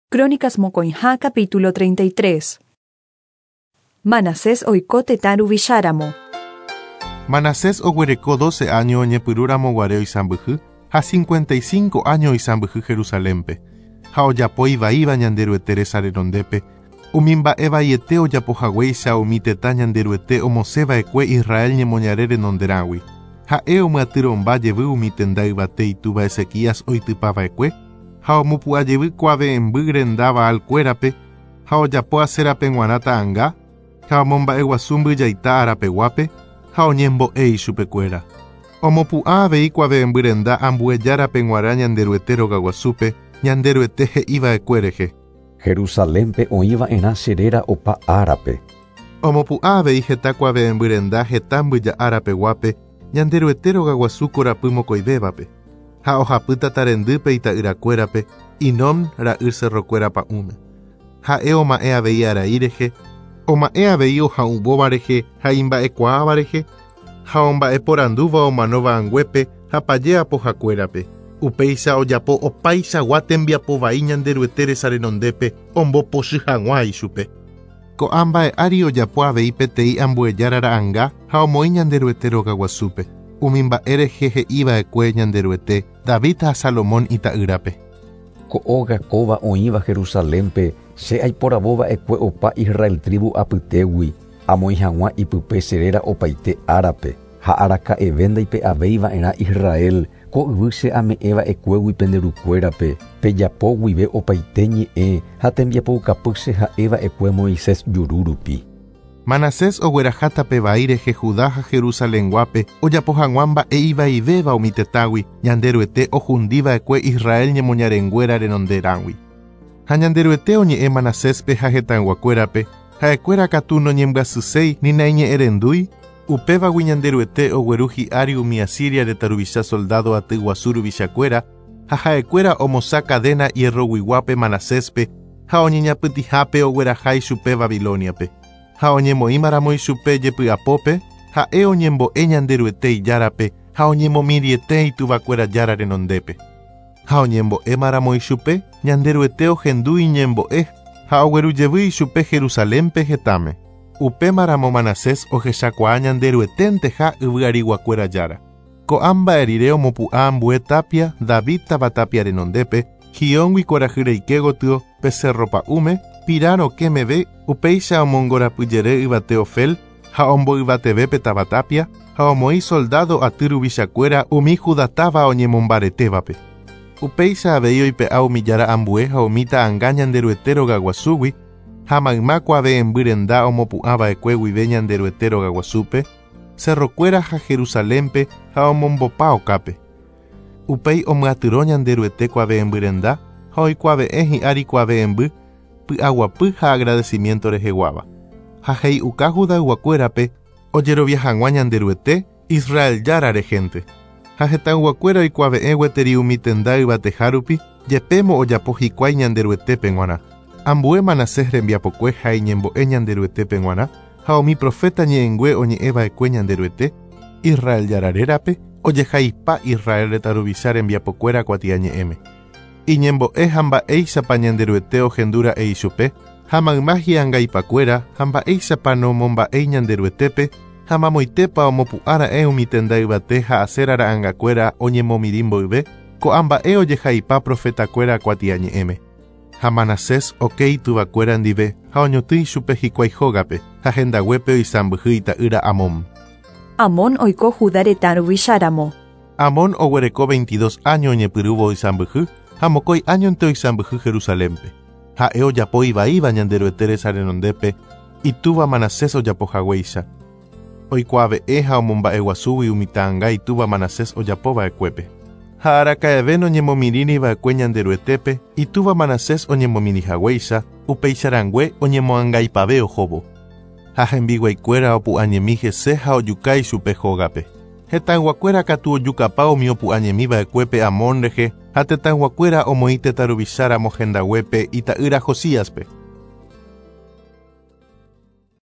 Crónicas mokõiha capítulo 33. Manasés oiko tetã ruvicháramo. Manasés oguereko doce áño oñepyrũramo guare oisãmbyhy ha cincuenta y cinco áño oisãmbyhy Jerusalénpe, ha ojapo ivaíva Ñanderuete resa renondépe, umi mba'e vaiete ojapo haguéicha umi tetã Ñanderuete omosẽ va'ekue Israel ñemoñare renonderãgui. Ha'e omyatyrõmba jevy umi tenda yvate itúva Ezequías oitypa va'ekue, ha omopu'ã jevy kuave'ẽmby renda Baal kuérape, ha ojapo Aserape g̃uarã ta'anga, ha omomba'eguasu mbyjaita arapeguápe, ha oñembo'e ichupekuéra. Omopu'ã avei kuave'ẽmby renda ambue járape g̃uarã Ñanderuete rogaguasúpe, Ñanderuete he'i va'ekue rehe. Jerusalénpe oĩ va'erã che réra opa árape. Omopu'ã avei heta kuave'ẽmby renda heta mbyja árapeguápe, Ñanderuete rogaguasu korapy mokõivévape, ha ohapy tata rendýpe ita'yrakuérape Hinom ra'y cerrokuéra pa'ũme. Ha'e oma'ẽ avei arai rehe, oma'ẽ avei oha'uvóva rehe ha imba'ekuaáva rehe, ha omba'eporandúva omanóva anguépe ha paje apohakuérape. Upéicha ojapo opaichagua tembiapo vai Ñanderuete resa renondépe ombopochy hag̃ua ichupe. Ko'ã mba'e ári ojapo avei peteĩ ambue jára ra'anga ha omoĩ Ñanderuete rogaguasúpe, umi mba'e rehe he'i va'ekue Ñanderuete, David ha Salomón ita'ýrape. Ko óga kóva oĩva Jerusalénpe, che aiporavo va'ekue opa Israel trívu apytégui, amoĩ hag̃ua ipype che réra opaite árape, ha araka'eve ndaipe'avéi va'erã Israel ko yvy che ame'ẽ va'ekuégui pende rukuérape, pejapo guive opaite ñe'ẽ ha tembiapoukapy che ha'e va'ekue Moisés juru rupi. Manasés ogueraha tape vai rehe Judá ha Jerusalenguápe ojapo hag̃ua mba'e ivaivéva umi tetãgui Ñanderuete ohundi va'ekue Israel ñemoñarenguéra renonderãgui. Ha Ñanderuete oñe'ẽ Manaséspe ha hetãyguakuérape, ha'ekuéra katu noñembyasyséi ni naiñe'ẽrendúi, Upévagui Ñanderuete ogueru hi'ári umi Asiria retã ruvicha soldádo aty guasu ruvichakuéra, ha ha'ekuéra omosã kadéna hierroguiguápe Manaséspe ha oñeñapytĩhápe ogueraha ichupe Babilóniape. Ha oñemoĩmaramo ichupe jepy'apópe, ha'e oñembo'e Ñanderuete Ijárape ha oñemomirĩete ituvakuéra Jára renondépe. Ha oñembo'émaramo ichupe, Ñanderuete ohendu iñembo'e ha ogueru jevy ichupe Jerusalénpe hetãme. Upémaramo Manasés ohechakuaa Ñanderueténteha yvy ariguakuéra Jára. Ko'ã mba'e rire omopu'ã ambue tápia David táva tápia renondépe, Gióngui kuarahy reike gotyo pe sérro pa'ũme, pira rokẽ meve, upéicha omongorapyjere yvate Ofel ha omboyvateve pe táva tápia, ha omoĩ soldádo aty ruvichakuéra umi Judá táva oñemombaretévape. Upéicha avei oipe'a umi jára ambue ha umi ta'anga Ñanderuete rogaguasúgui, Ha mayma kuave'ẽmby renda omopu'ã va'ekue guive Ñanderuete rogaguasúpe, cerrokuéra ha Jerusalénpe ha omombopa okápe. Upéi omyatyrõ Ñanderuete kuave'ẽmby renda ha oikuave'ẽ hi'ári kuave'ẽmby py'aguapy ha agradecimiento reheguáva. Ha he'i'uka Judayguakuérape ojerovia hag̃ua Ñanderuete, Israel Jára rehénte. Ha hetãyguakuéra oikuave'ẽ gueteri umi tenda yvateha rupi, jepémo ojapo hikuái Ñanderuetépe g̃uarã. Ambue Manasés rembiapokue ha iñembo'e Ñanderuetépe g̃uarã, ha umi proféta ñe'ẽngue oñe'ẽ va'ekue Ñanderuete, Israel Jára rérape, ojehaipa Israel retã ruvicha rembiapokuéra kuatiañe'ẽme. Iñembo'e ha mba'éichapa Ñanderuete ohendu ra'e ichupe, ha mayma hi'angaipakuéra ha mba'éichapa nomomba'éi Ñanderuetépe, ha mamoitépa omopu'ã ra'e umi tenda yvate ha Asera ra'angakuéra oñemomirĩ mboyve, ko'ã mba'e ojehaipa profetakuéra kuatiañe'ẽme. Ha Manasés oke ituvakuéra ndive ha oñotỹ ichupe hikuái hógape, ha hendaguépe oisãmbyhy ita'ýra Amón. Amón oiko Judá retã ruvicha ramo. Amón oguereko veintidós áño oñepyrũvo oisãmbyhy, ha mokõi áñonte oisãmbyhy Jerusalénpe. Ha'e ojapo ivaíva Ñanderuete resa renondépe, itúva Manasés ojapo haguéicha. Oikuaave'ẽ ha omomba'eguasúgui umi ta'anga itúva Manasés ojapo va'ekuépe. Ha araka'eve noñemomirĩri va'ekue Ñanderuetépe, itúva Manasés oñemomirĩ haguéicha, upéicha rangue oñemoangaipave ohóvo. Ha hembiguaikuéra opu'ãñemi hese ha ojuka ichupe hógape. Hetãyguakuéra katu ojukapa umi opu'ãñemi va'ekuépe Amón rehe ha tetãyguakuéra omoĩ tetã ruvicha ramo hendaguépe ita'ýra Josíaspe.